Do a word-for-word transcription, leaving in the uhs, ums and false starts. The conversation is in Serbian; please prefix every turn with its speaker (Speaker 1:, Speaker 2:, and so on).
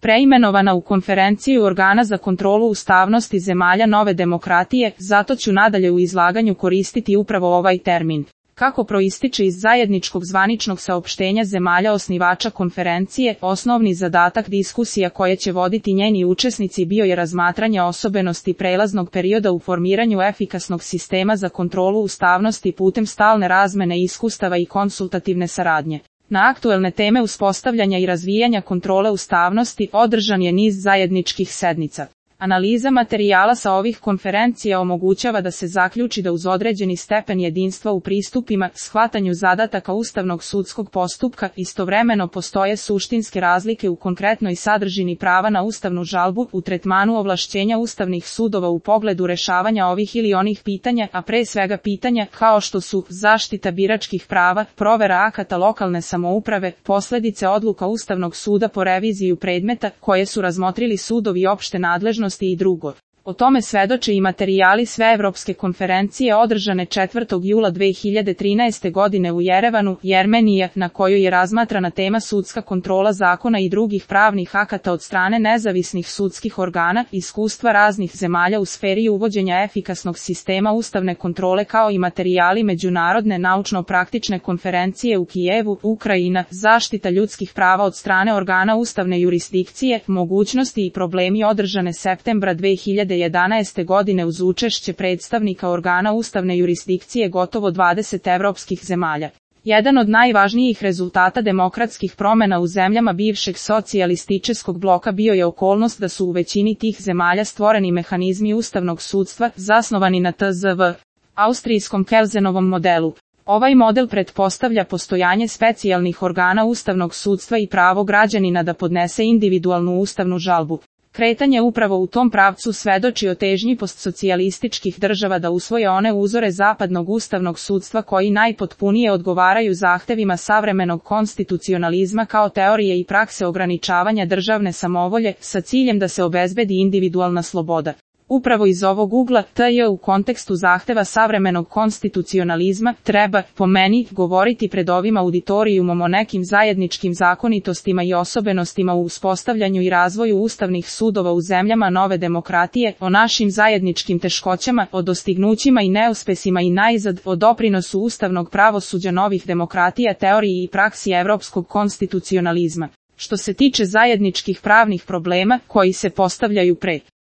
Speaker 1: preimenovana u Konferenciju organa za kontrolu ustavnosti zemalja nove demokratije, zato ću nadalje u izlaganju koristiti upravo ovaj termin. Kako proističe iz zajedničkog zvaničnog saopštenja zemalja osnivača konferencije, osnovni zadatak diskusija koje će voditi njeni učesnici bio je razmatranje osobenosti prelaznog perioda u formiranju efikasnog sistema za kontrolu ustavnosti putem stalne razmene iskustava i konsultativne saradnje. Na aktuelne teme uspostavljanja i razvijanja kontrole ustavnosti održan je niz zajedničkih sednica. Analiza materijala sa ovih konferencija omogućava da se zaključi da uz određeni stepen jedinstva u pristupima, shvatanju zadataka ustavnog sudskog postupka, istovremeno postoje suštinske razlike u konkretnoj sadržini prava na ustavnu žalbu, u tretmanu ovlašćenja ustavnih sudova u pogledu rešavanja ovih ili onih pitanja, a pre svega pitanja kao što su zaštita biračkih prava, provera akata lokalne samouprave, posledice odluka Ustavnog suda po reviziju predmeta koje su razmotrili sudovi opšte nadležnosti i drugo. O tome svedoče i materijali Sveevropske konferencije održane četvrtog jula dve hiljade trinaeste. godine u Jerevanu, Jermenija, na kojoj je razmatrana tema sudska kontrola zakona i drugih pravnih akata od strane nezavisnih sudskih organa, iskustva raznih zemalja u sferi uvođenja efikasnog sistema ustavne kontrole kao i materijali Međunarodne naučno-praktične konferencije u Kijevu, Ukrajina, zaštita ljudskih prava od strane organa ustavne jurisdikcije, mogućnosti i problemi održane septembra dve hiljade jedanaeste. godine uz učešće predstavnika organa ustavne jurisdikcije gotovo dvadeset evropskih zemalja. Jedan od najvažnijih rezultata demokratskih promena u zemljama bivšeg socijalističkog bloka bio je okolnost da su u većini tih zemalja stvoreni mehanizmi ustavnog sudstva, zasnovani na T Z V, austrijskom Kelzenovom modelu. Ovaj model pretpostavlja postojanje specijalnih organa ustavnog sudstva i pravo građanina da podnese individualnu ustavnu žalbu. Kretanje upravo u tom pravcu svedoči o težnji postsocijalističkih država da usvoje one uzore zapadnog ustavnog sudstva koji najpotpunije odgovaraju zahtevima savremenog konstitucionalizma kao teorije i prakse ograničavanja državne samovolje sa ciljem da se obezbedi individualna sloboda. Upravo iz ovog ugla, T J u kontekstu zahteva savremenog konstitucionalizma, treba, po meni, govoriti pred ovim auditorijumom o nekim zajedničkim zakonitostima i osobenostima u uspostavljanju i razvoju ustavnih sudova u zemljama nove demokratije, o našim zajedničkim teškoćama, o dostignućima i neuspesima i najzad, o doprinosu ustavnog pravosuđa novih demokratija teoriji i praksi evropskog konstitucionalizma. Što se tiče zajedničkih pravnih problema, koji se postavljaju pre